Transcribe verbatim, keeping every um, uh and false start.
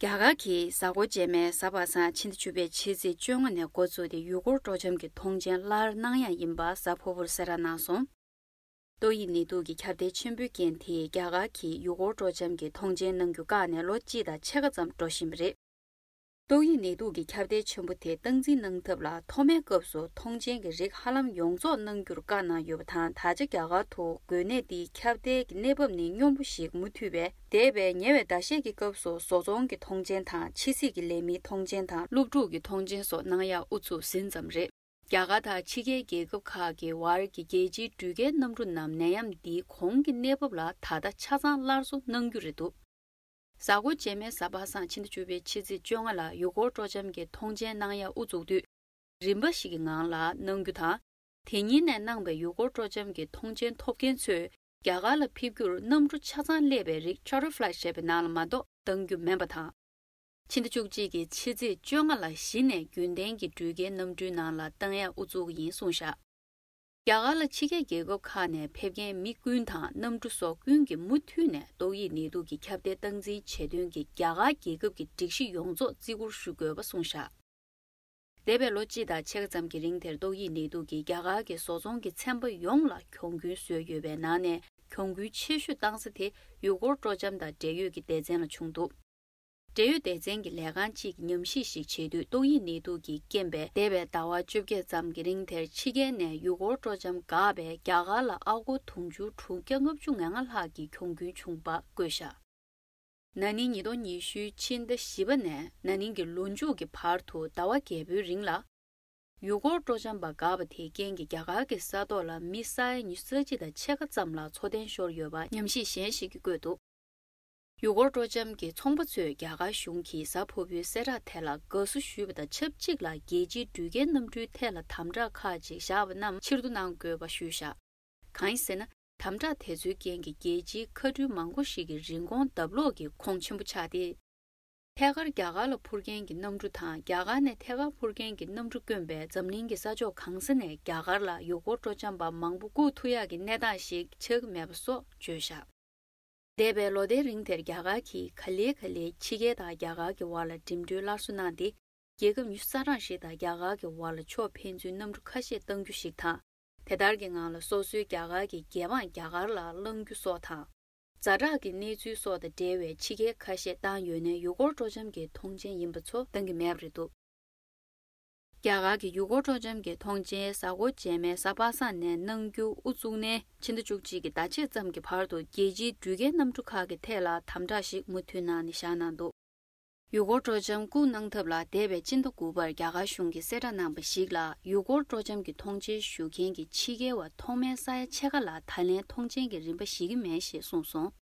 རྒྱ་གར་གྱིས་གཟའ་འཁོར་རྗེས་མའི་གཟའ་པ་སངས་ཕྱི་ཟླ་བཅུ་པའི་ཕྱི་ཚེས་བཅོ་ལྔ་ནས་འགོ་བཙུགས་ཏེ་ཡུལ་སྐོར་སྤྲོ་འཆམ་གྱི་ཐོངས་མཆན་སླར་གནང་ཡ་ཡིན་པ་གཟའ་ཕུར་བུར་གསལ་བསྒྲགས་གནང་སོང་། ཏོག་དབྱིབས་ནད་དུག་གི་ཁྱབ་གདལ་ཆེན་པོའི་རྐྱེན་དེས་རྒྱ་གར་གྱིས་ཡུལ་སྐོར་སྤྲོ་འཆམ་གྱི་ཐོངས་མཆན་གནང་རྒྱུ་བཀག་ནས་ལོ་གཅིག་དང་ཕྱེད་ཀ་ཙམ་འགྲོ་བཞིན་པ་རེད། ཏོག་དབྱིབས་ནད་དུག་གི་ཁྱབ་གདལ་ཆེན་པོ་དེ་སྟངས་འཛིན་གནང་ཐབས་ལ་ཐོག་མའི་སྐབས་སུ་ཐོངས་མཆན་གྱི་རིགས་ཧ་ལམ་ཡོངས་རྫོགས་གནང་རྒྱུར་བཀའ་གནང་ཡོད་པ་དང་། ད་ཆ་རྒྱ་གར་དུ་འགོས་ནད་འདིའི་ཁྱབ་གདལ་གྱི་གནས་བབ་ནི་སྙོམས་པོ་ཞིག་མུ་མཐུད་པས། འདས་པའི་ཉེ་བའི་ཟླ་ཤས་ཀྱི་སྐབས་སུ་བཟོ་ཚོང་གི་ཐོངས་མཆན་དང་། ཕྱི་སྲིད་ཀྱི་ལས་མིའི་ཐོངས་མཆན་དང་། སློབ་ཕྲུག་གི་ཐོངས་མཆན་སོགས་གནང་ཡག་ཨུ་ཚུགས་ཟིན་ཙམ་རེད། རྒྱ་གར་དང་ཕྱི་རྒྱལ་རྒྱལ་ཁབ་ཁག་གི་བར་གྱི་རྒྱལ་སྤྱིའི་འགྲུལ་སྐྱེལ་གནམ་གྲུ་རྣམས་ནད་ཡམས་འདིའི་གོང་གི་གནས་བབ་ལ་ད་ལྟ་ཆ་ཚང་སླར་གསོ་གནང་རྒྱུ་རེད་འདུག་གཟའ་འཁོར་རྗེས་མའི་གཟའ་པ་སངས་ཕྱི་ཟླ་བཅུ་པའི་ཕྱི་ཚེས་བཅོ་ལྔ་ལ་ཡུལ་སྐོར་སྤྲོ་འཆམ་གྱི་ཐོངས་མཆན་གནང་ཡ་དབུ་འཛུགས་དུས། རིམ་པ་ཞིག་གི་ངང་ལ་གནང་རྒྱུ་དང་། དེ་ཉིན་ནས་གནང་པའི་ཡུལ་སྐོར་སྤྲོ་འཆམ་གྱི་ཐོངས་མཆན་ཐོབ་མཁན་ཚོས་རྒྱ་གར་ལ་ཕེབས་རྒྱུར་གནམ་གྲུ་ཆ་ཚང་སླེབས་པའི་རིགས་charter flight ཞེས་པའི་ནང་ལ་མ་གཏོགས་གཏང་རྒྱུ་མིན་པ་དང་། ཕྱི་ཟླ་བཅུ་གཅིག་གི་ཕྱི་ཚེས་བཅོ་ལྔ་ལ་གཞི་ནས་རྒྱུན་ལྡན་གྱི་འགྲུལ་སྐྱེལ་གནམ་གྲུའི་ནང་ལ་གཏང་ཡ་དབུ་འཛུགས་ཀྱི་ཡིན་གསུངས་བཞག་རྒྱ་གར་ལ་ཕྱི་རྒྱལ་རྒྱལ་ཁབ་ཁག་ནས་ཕེབས་མཁན་མི་ཀུན་དང་གནམ་གྲུ་སོགས་ཀུན་གྱིས་མུ་མཐུད་ནས་ཏོག་དབྱིབས་ནད་དུག་གི་ཁྱབ་གདལ་སྟངས་འཛིན་བྱེད་དོན་གྱི་རྒྱ་གར་རྒྱལ་ཁབ་ཀྱི་སྒྲིག་གཞི་ཡོངས་རྫོགས་བརྩི་བཀུར་ཞུ་དགོས་པ་གསུངས་བཞག་འདས་པའི་ལོ་གཅིག་དང་ཕྱེད་ཀ་ཙམ་གྱི་རིང་དེར་ཏོག་དབྱིབས་ནད་དུག་གིས་རྒྱ་གར་གྱི་བཟོ་ཚོང་གི་ཚན་པ་ཡོངས་ལ་གྱོང་གུན་བཟོས་ཡོད་པའི་ནང་ནས། གྱོང་གུན་ཆེ་ཤོས་བཏང་ས་དེ་ཡུལ་སྐོར་སྤྲོ་འཆམ་དང་འབྲེལ་ཡོད་ཀྱི་སྡེ་ཚན་ལ་བྱུང་འདུག་འབྲེལ་ཡོད་སྡེ་ཚན་གྱི་ལས་ཁང་གཅིག་གིས་ཉམས་ཞིབ་ཞིག་བྱས་དུས། ཏོག་དབྱིབས་ནད་དུག་གིས་རྐྱེན་པས་འདས་པའི་ཟླ་བ་བཅོ་བརྒྱད་ཙམ་གྱི་རིང་དེར་ཕྱི་རྒྱལ་ནས་ཡུལ་སྐོར་སྤྲོ་འཆམ་འགག་པས་རྒྱ་གར་ལ་ཨ་སྒོར་དུང་ཕྱུར་དྲུག་བརྒྱ་ལྔ་བཅུ་ང་ལྔ་ལྷག་གི་གྱོང་གུན་བྱུང་བ་བཀོད་བཞག་ན་ནིང་ཉིས་སྟོང་ཉི་ཤུའི་ཕྱི་ཟླ་བཞི་པ་ནས་ན་ནིང་གི་ལོ་མཇུག་གི་བར་དུ་ཟླ་བ་བརྒྱད་པོའི་རིང་ལ། ཡུལ་སྐོར་སྤྲོ་འཆམ་པ་འགག་པ་དེའི་རྐྱེན་གྱིས་རྒྱ་གར་གྱི་ས་ཐོག་ལ་མི་ས་ཡ་ཉི་ཤུ་རྩ་གཅིག་དང་ཕྱེད་ཀ་ཙམ་ལ་འཚོ་རྟེན་ཤོར་ཡོད་པ་ཉམས་ཞིབ་གཞན་ཞིག་གིས་བཀོད་འདུག་ཡུལ་སྐོར་སྤྲོ་འཆམ་གྱི་ཚོང་པ་ཚོས་རྒྱ་གར་གཞུང་གིས་གཟའ་ཕུར་བུའི་གསལ་བསྒྲགས་དེ་ལ་དགའ་བསུ་ཞུས་པ་དང་ཆབས་ཅིག་ལ། རྒྱལ་སྤྱིའི་འགྲུལ་སྐྱེལ་གནམ་གྲུའི་ཐད་ལ་དམ་དྲག་ཁག་ཅིག་བཞག་པ་རྣམས་ཕྱིར་བསྡུ་གནང་དགོས་པ་ཞུས་བཞག་གང་ཡིན་ཟེར་ན། དམ་དྲག་དེ་ཚོའི་རྐྱེན་གྱིས་རྒྱལ་སྤྱིའི་མཁའ་འགྲུལ་མང་པོ་ཞིག་གི་རིན་གོང་ལྡབ་ལོག་གི་ཁོངས་ཆེན་པོ་ཆགས་ཏེ། ཐད་ཀར་རྒྱ་གར་ལ་འཕུར་མཁན་གྱི་གནམ་གྲུ་དང་། རྒྱ་གར་ནས་ཐད་ཀར་འཕུར་མཁན་གྱི་གནམ་གྲུ་བསྐྱོན་པས་འཛམ་གླིང་གི་ས་ཕྱོགས་གང་ས་ནས་རྒྱ་གར་ལ་ཡུལ་སྐོར་སྤྲོ་འཆམ་པ་མང་པོ་བཀུག་ཐུབ་ཡག་གི་གནས་སྟངས་ཤིག་ཆགས་ཀྱི་མེད་པ་སོགས་བརྗོད་བཞག་འདས་པའི་ལོ་ཟླའི་རིང་དེར་རྒྱ་གར་གྱིས་ག་ལེ་ག་ལེ་ཕྱི་རྒྱལ་དང་རྒྱ་གར་གྱི་བར་ལ་འགྲིམ་འགྲུལ་སླར་གསོ་གནང་སྟེ། རྒྱལ་ཁབ་ཉི་ཤུ་རྩ་གྲངས་ཤིག་དང་རྒྱ་གར་གྱི་བར་ལ་ཕྱོགས་ཕན་ཚུན་གནམ་གྲུ་ཁ་ཤས་གཏང་རྒྱུ་ཞིག་དང་། དེ་ལྟར་གྱི་ངང་ལ་སོ་སོའི་རྒྱ་གར་གྱི་རྒྱལ་འབངས་རྒྱ་གར་ལ་བསླང་རྒྱུ་སོགས་དང་། ཛ་དྲག་གི་གནས་ཚུལ་སོགས་དང་འབྲེལ་བའི་ཕྱི་རྒྱལ་ཁ་ཤས་བཏང་ཡོད་ནའི་ཡུལ་སྐོར་སྤྲོ་འཆམ་གྱི་ཐོངས་མཆན་ཡིན་པ་ཚོ་གཏང་གི་མེད་པ་རེད་འདུག་རྒྱ་གར་གྱི་ཡུལ་སྐོར་སྤྲོ་འཆམ་གྱི་ཐོངས་མཆན་གཟའ་འཁོར་རྗེས་མའི་གཟའ་པ་སངས་ནས་གནང་རྒྱུ་དབུ་བཙུགས་ནས་ཕྱི་ཟླ་བཅུ་གཅིག་གི་ཟླ་ཕྱེད་ཙམ་གྱི་བར་དུ་རྒྱལ་སྤྱིའི་འགྲུལ་སྐྱེལ་གནམ་གྲུ་ཁག་གི་ཐད་ལ་དམ་དྲག་ཞིག་མུ་མཐུད་གནང་ནས་བཞག་གནང་འདུག་ཡུལ་སྐོར་སྤྲོ་འཆམ་བཀུག་གནང་ཐབས་ལ་འདས་པའི་སྤྱི་ཟླ་དགུ་པར་རྒྱ་གར་གཞུང་གིས་གསལ་བསྒྲགས་གནང་པ་ཞིག་ལ། ཡུལ་སྐོར་སྤྲོ་འཆམ་གྱི་ཐོངས་མཆན་ཞུ་མཁན་གྱི་ཕྱི་རྒྱལ་བ་ཐོག་མའི་ས་ཡ་ཕྱེད་ཀ་ལ་ད་ལན་ཐོངས་མཆན་གྱི་རིན་པ་བཞེས་ཀྱི་མེད་ཞེས་གསུངས་སོང་།